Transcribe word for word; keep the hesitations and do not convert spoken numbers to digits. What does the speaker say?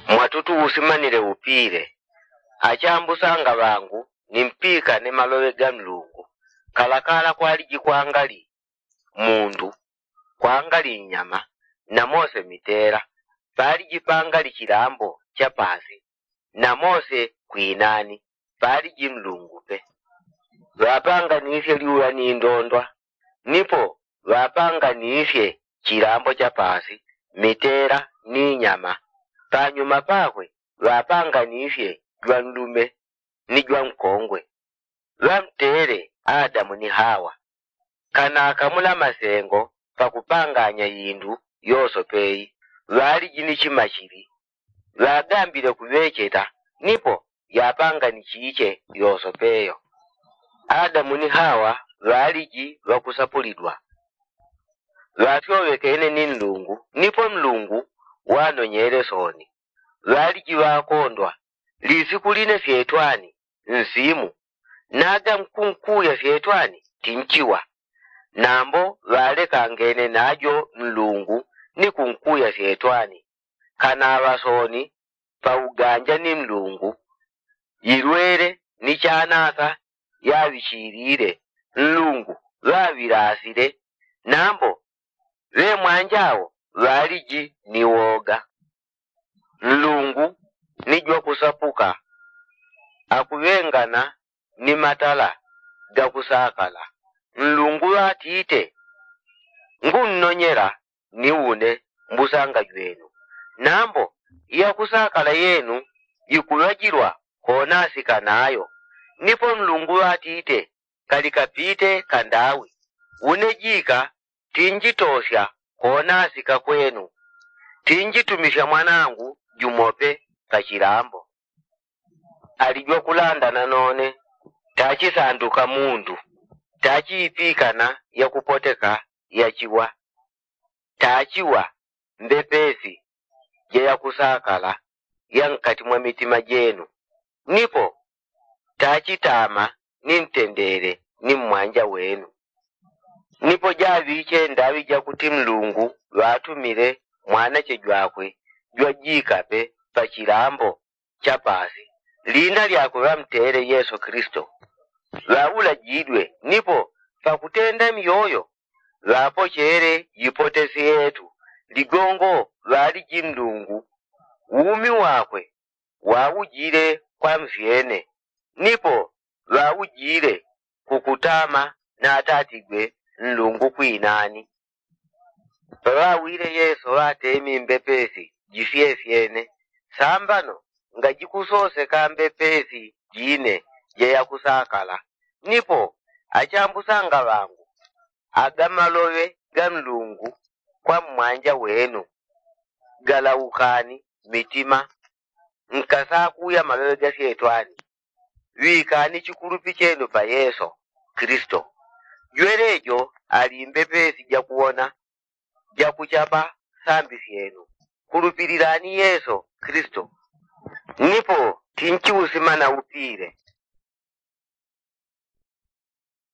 Mwatutu usimanile upile. Achambusanga ŵangu, nimpikane maloŵe ga nlungu. Kalakala kwaliji kwangali mundu, kwangali nyama, na mose mitela, paliji pangali chilambo cha pasi, na mose kwinani, paliji nlungu pe. Ŵapanganisye lyula ni ndondwa, nipo ŵapanganisye chilambo cha pasi, mitela ni nyama. Panyuma pakwe ŵapanganisye jwanlume ni jwankongwe. Ŵamtele adamu ni hawa, kanakamula masengo pakupanganya indu yosope i. Ŵaliji ni chimachili, ŵagambile kuŵecheta, nipo yapanga ni chiche yosope yo. Adamu ni hawa ŵaliji ŵakusapulidwa, ŵafyoŵekene ni nlungu, nipo nlungu wanonyele soni. Ŵaliji ŵakondwa, lisiku line fyetwani nsimu, naga nkunkuya fyetwani tinchiwa. Nambo ŵalekangene najo nlungu ni kunkuya fyetwani, kanaŵa soni pauganja ni nlungu. Yilwele ni chanasa yaŵichilile, nlungu ŵaŵilasile. Nambo ŵemwanjao ŵaliji ni woga. Nlungu ni jwakusapuka, akuŵengana ni matala gakusakala. Nlungu ŵatite, ngunnonyela ni une mbusanga jwenu. Nambo yakusakala yenu yikuŵajilwa konasika nayo. Nipo nlungu ŵatite, kalikapite kandawi. Une jika tinjitosya konasika kwenu, tinjitumisya mwanangu jumope pachilambo. Ali jwakulanda nanone, tachisanduka mundu, tachiipikana yakupoteka yachiwa. Tachiwa mbepesi ja yakusakala ya nkati mwa mitima jenu, nipo tachitama ni ntendele ni mmwanja wenu. Nipo jaŵiche ndaŵi jakuti nlungu ŵatumile mwanache jwakwe jwajikape pachilambo cha pasi, lina lyakwe ŵamtele yesu kristo. Ŵaulajidwe nipo pakutenda myoyo ŵapochele jipotesi yetu. Ligongo ŵaliji nlungu, umi wakwe waujile kwa mfyene, nipo ŵaujile kukutama natatigwe nlungu kwinani. Paŵawile yesu ŵatemi mbepesi jifyefyene. Sambano ngajikusoseka mbepesi jine ja yakusakala. Nipo achambusanga ŵangu, aga maloŵe ga nlungu kwa mmwanja wenu, galaukani mitima. Nkasakuya maloŵe ga fyetwani, ŵikani chikulupi chenu pa yesu kristo. Jwelejo ali mbepesi jakuwona, jakuchapa sambi syenu. Kulupililani yesu kristo, nipo tinchiusimana upile.